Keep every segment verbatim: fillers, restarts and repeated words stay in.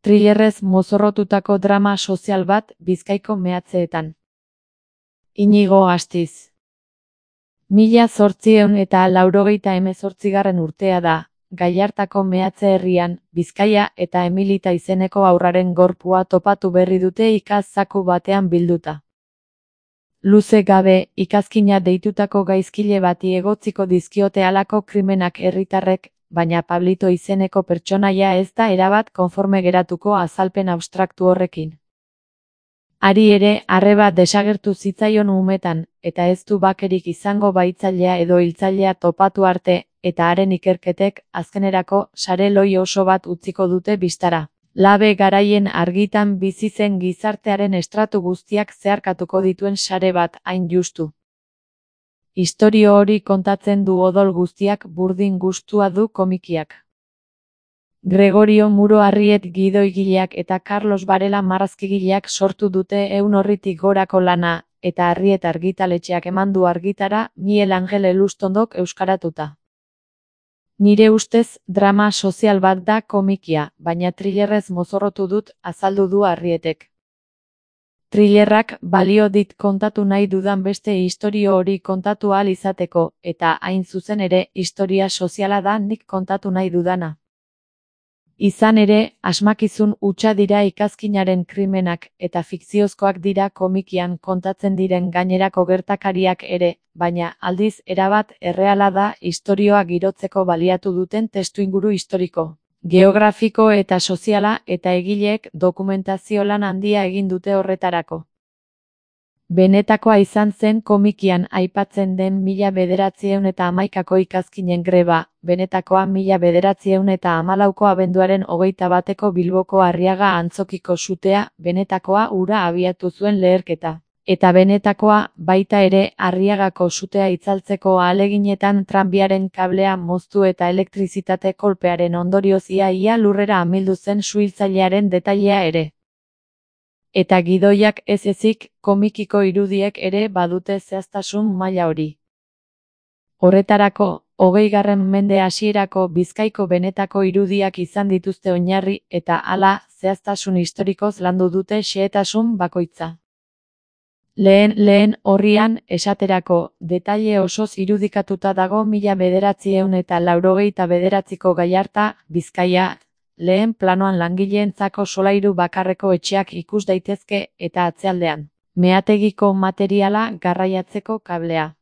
Thrillerrez mozorrotutako drama sozial bat Bizkaiko meatzeetan. Inigo Astiz. Mila zortziehun eta laurogeita hemezortzigarren urtea da, Gallartako meatze herrian, Bizkaia eta Emilita izeneko haurraren gorpua topatu berri dute ikaz zaku batean bilduta. Luze gabe, ikazkina deitutako gaizkile bati egotziko dizkiote halako krimenak herritarrek, baina Pablito izeneko pertsonaia ez da erabat konforme geratuko azalpen abstraktu horrekin. Hari ere, arreba desagertu zitzaion umetan, eta ez du bakerik izango baitzailea edo hiltzailea topatu arte, eta haren ikerketek, azkenerako, sare loi oso bat utziko dute bistara. Labe garaien argitan bizi zen gizartearen estratu guztiak zeharkatuko dituen sare bat, hain justu. Istorio hori kontatzen du odol guztiak burdin gustua du komikiak. Gregorio Muro Arriet gidoigileak eta Carlos Varela marrazkigileak sortu dute ehun orritik gorako lana, eta Arriet argitaletxeak eman du argitara Miel Angel Elustondok euskaratuta. Nire ustez, drama sozial bat da komikia, baina thrillerrez mozorrotu dut, azaldu du Arrietek. Thrillerrak balio dit kontatu nahi dudan beste istorio hori kontatu ahal izateko, eta hain zuzen ere, historia soziala da nik kontatu nahi dudana. Izan ere, asmakizun hutsa dira ikazkinaren krimenak, eta fikziozkoak dira komikian kontatzen diren gainerako gertakariak ere, baina, aldiz, erabat erreala da istorioa girotzeko baliatu duten testuinguru historiko, geografiko eta soziala, eta egileek dokumentazio lan handia egin dute horretarako. Benetakoa izan zen komikian aipatzen den mila bederatziehun eta hamaikako ikazkinen greba, benetakoa mila bederatziehun eta hamalauko abenduaren hogeita bateko Bilboko Arriaga antzokiko sutea, benetakoa hura abiatu zuen leherketa. Eta benetakoa, baita ere, Arriagako sutea itzaltzeko ahaleginetan tranbiaren kablea moztu eta elektrizitate kolpearen ondorioz ia-ia lurrera amildu zen suhiltzailearen detailea ere. Eta gidoiak ez ezik, komikiko irudiek ere badute zehaztasun maila hori. Horretarako, hogeigarren mende hasierako Bizkaiko benetako irudiak izan dituzte oinarri, eta hala, zehaztasun historikoz landu dute xehetasun bakoitza. Lehen lehen horrian, esaterako, detaile osoz irudikatuta dago mila bederatziehun eta laurogeita bederatziko Gallarta, Bizkaia, lehen planoan langileentzako solairu bakarreko etxeak ikus daitezke eta atzealdean, meategiko materiala garraiatzeko kablea.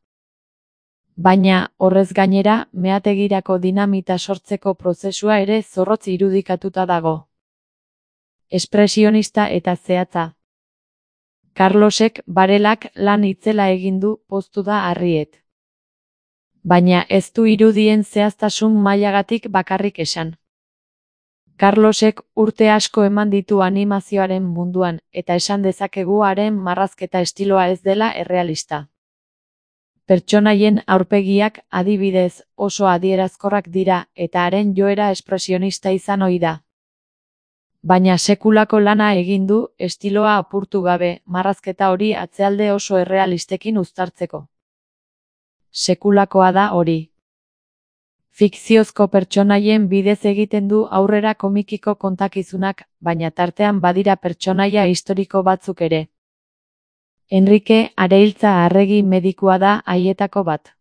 Baina, horrez gainera, meategirako dinamita sortzeko prozesua ere zorrotz irudikatuta dago. Espresionista eta zehatza. Carlosek Varelak lan itzela egin du poztu da Arriet. Baina ez du irudien zehaztasun mailagatik bakarrik esan. Carlosek urte asko eman ditu animazioaren munduan, eta esan dezakegu haren marrazketa estiloa ez dela errealista. Pertsonaien aurpegiak, adibidez, oso adierazkorrak dira, eta haren joera espresionista izan ohi da. Baina sekulako lana egin du, estiloa apurtu gabe, marrazketa hori atzealde oso errealistekin uztartzeko. Sekulakoa da hori. Fikziozko pertsonaien bidez egiten du aurrera komikiko kontakizunak, baina tartean badira pertsonaia historiko batzuk ere. Enrique Areiltza Arregi medikua da haietako bat.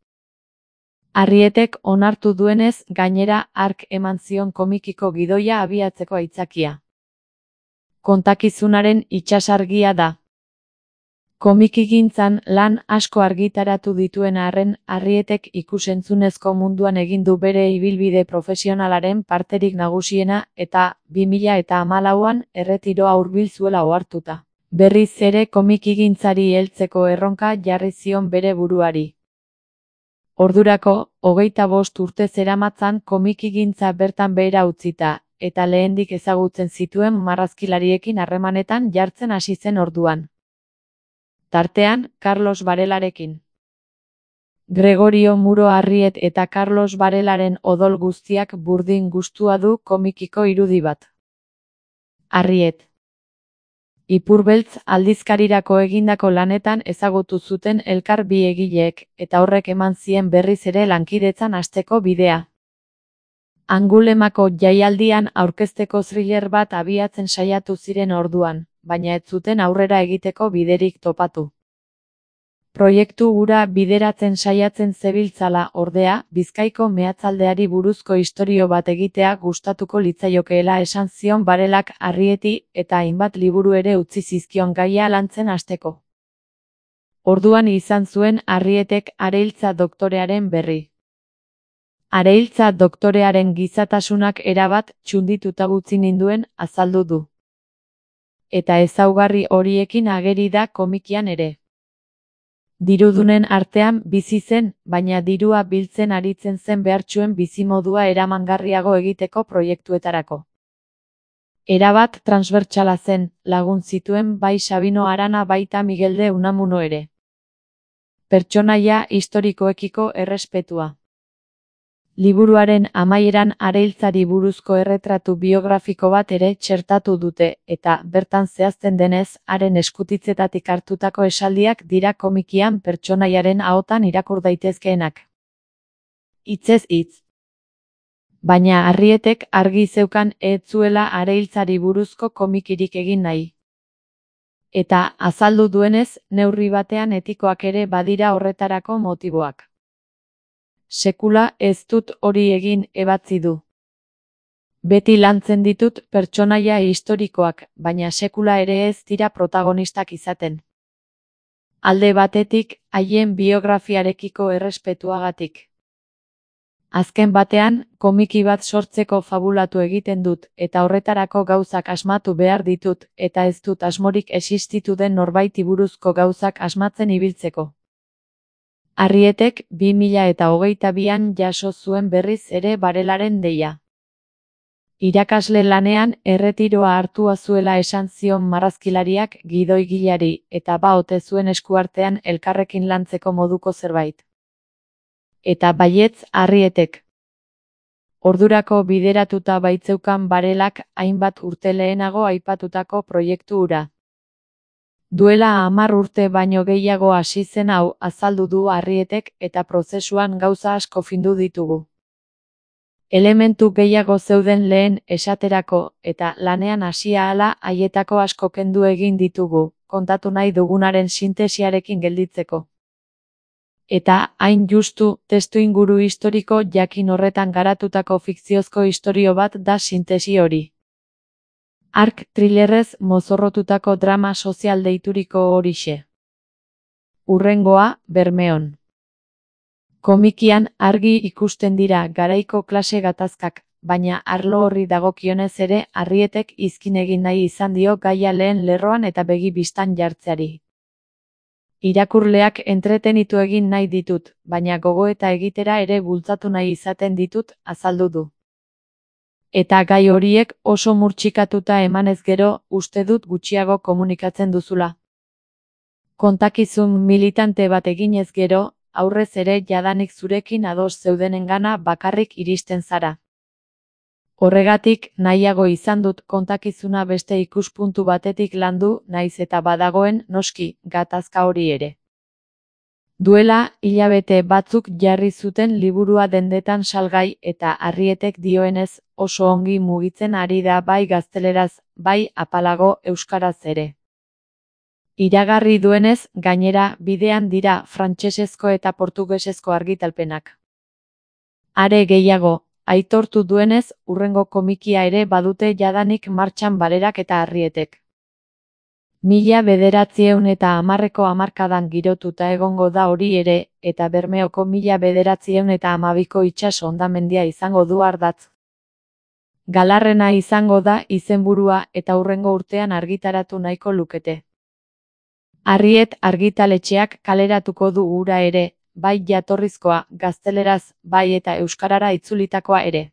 Arrietek onartu duenez, gainera hark eman zion komikiko gidoia abiatzeko aitzakia. Kontakizunaren itsasargia da. Komikigintzan lan asko argitaratu dituen arren, Arrietek ikusentzunezko munduan egin du bere ibilbide profesionalaren parterik nagusiena eta bi mila eta hamalauan erretiroa hurbil zuela ohartuta. Berriz ere komikigintzari heltzeko erronka jarri zion bere buruari. Ordurako, hogeita bost urte zeramatzan komikigintza bertan behera utzita, eta lehendik ezagutzen zituen marrazkilariekin harremanetan jartzen hasi zen orduan. Tartean, Carlos Varelarekin. Gregorio Muro Arriet eta Carlos Varelaren odol guztiak burdin gustua du komikiko irudi bat. Arriet. Ipurbeltz aldizkarirako egindako lanetan ezagutu zuten elkar bi egileek, eta horrek eman zien berriz ere lankidetzan hasteko bidea. Angulemako jaialdian aurkezteko thriller bat abiatzen saiatu ziren orduan, baina ez zuten aurrera egiteko biderik topatu. Proiektu hura bideratzen saiatzen zebiltzala, ordea, Bizkaiko meatzaldeari buruzko istorio bat egitea gustatuko litzaiokeela esan zion Varelak Arrieti eta hainbat liburu ere utzi zizkion gaia lantzen hasteko. Orduan izan zuen Arrietek Areiltza doktorearen berri. Areiltza doktorearen gizatasunak erabat txundituta utzi ninduen, azaldu du. Eta ezaugarri horiekin ageri da komikian ere. Dirudunen artean bizi zen, baina dirua biltzen aritzen zen behartsuen bizimodua eramangarriago egiteko proiektuetarako. Erabat transbertsala zen, lagun zituen bai Sabino Arana baita Miguel de Unamuno ere. Pertsonaia historikoekiko errespetua. Liburuaren amaieran Areiltzari buruzko erretratu biografiko bat ere txertatu dute, eta bertan zehazten denez, haren eskutitzetatik hartutako esaldiak dira komikian pertsonaiaren ahotan irakur daitezkeenak. Hitzez hitz. Baina Arrietek argi zeukan ez zuela Areiltzari buruzko komikirik egin nahi. Eta, azaldu duenez, neurri batean etikoak ere badira horretarako motiboak. Sekula ez dut hori egin, ebatzi du. Beti lantzen ditut pertsonaia historikoak, baina sekula ere ez dira protagonistak izaten. Alde batetik, haien biografiarekiko errespetuagatik. Azken batean, komiki bat sortzeko fabulatu egiten dut, eta horretarako gauzak asmatu behar ditut, eta ez dut asmorik existitu den norbaiti buruzko gauzak asmatzen ibiltzeko. Arrietek bi mila eta hogeita bian jaso zuen berriz ere Varelaren deia. Irakasle lanean erretiroa hartua zuela esan zion marrazkilariak gidoigilari eta ba ote zuen eskuartean elkarrekin lantzeko moduko zerbait. Eta baietz Arrietek. Ordurako bideratuta baitzeukan Varelak hainbat urte lehenago aipatutako proiektu hura. Duela hamar urte baino gehiago hasi zen hau, azaldu du Arrietek, eta prozesuan gauza asko findu ditugu. Elementu gehiago zeuden lehen esaterako, eta lanean hasia ahala haietako asko kendu egin ditugu, kontatu nahi dugunaren sintesiarekin gelditzeko. Eta, hain justu, testuinguru historiko jakin horretan garatutako fikziozko istorio bat da sintesi hori. Ark thrillerrez mozorrotutako drama sozial deituriko horixe. Hurrengoa, Bermeon. Komikian argi ikusten dira garaiko klase gatazkak, baina arlo horri dagokionez ere Arrietek izkin egin nahi izan dio gaia lehen lerroan eta begi bistan jartzeari. Irakurleak entretenitu egin nahi ditut, baina gogoeta egitera ere bultzatu nahi izaten ditut, azaldu du. Eta gai horiek oso murtxikatuta emanez gero, uste dut gutxiago komunikatzen duzula. Kontakizun militante bat eginez gero, aurrez ere jadanik zurekin ados zeudenengana bakarrik iristen zara. Horregatik, nahiago izan dut kontakizuna beste ikuspuntu batetik landu, naiz eta badagoen, noski, gatazka hori ere. Duela, hilabete batzuk jarri zuten liburua dendetan salgai eta Arrietek dioenez oso ongi mugitzen ari da bai gazteleraz, bai apalago euskaraz ere. Iragarri duenez, gainera, bidean dira frantsesezko eta portugesezko argitalpenak. Are gehiago, aitortu duenez, hurrengo komikia ere badute jadanik martxan Varelak eta Arrietek. Mila bederatziehun eta hamarreko hamarkadan girotuta egongo da hori ere, eta Bermeoko mila bederatziehun eta hamabiko itsas hondamendia izango du ardatz. Galarrena izango da izenburua eta hurrengo urtean argitaratu nahiko lukete. Arriet argitaletxeak kaleratuko du hura ere, bai jatorrizkoa, gazteleraz, bai eta euskarara itzulitakoa ere.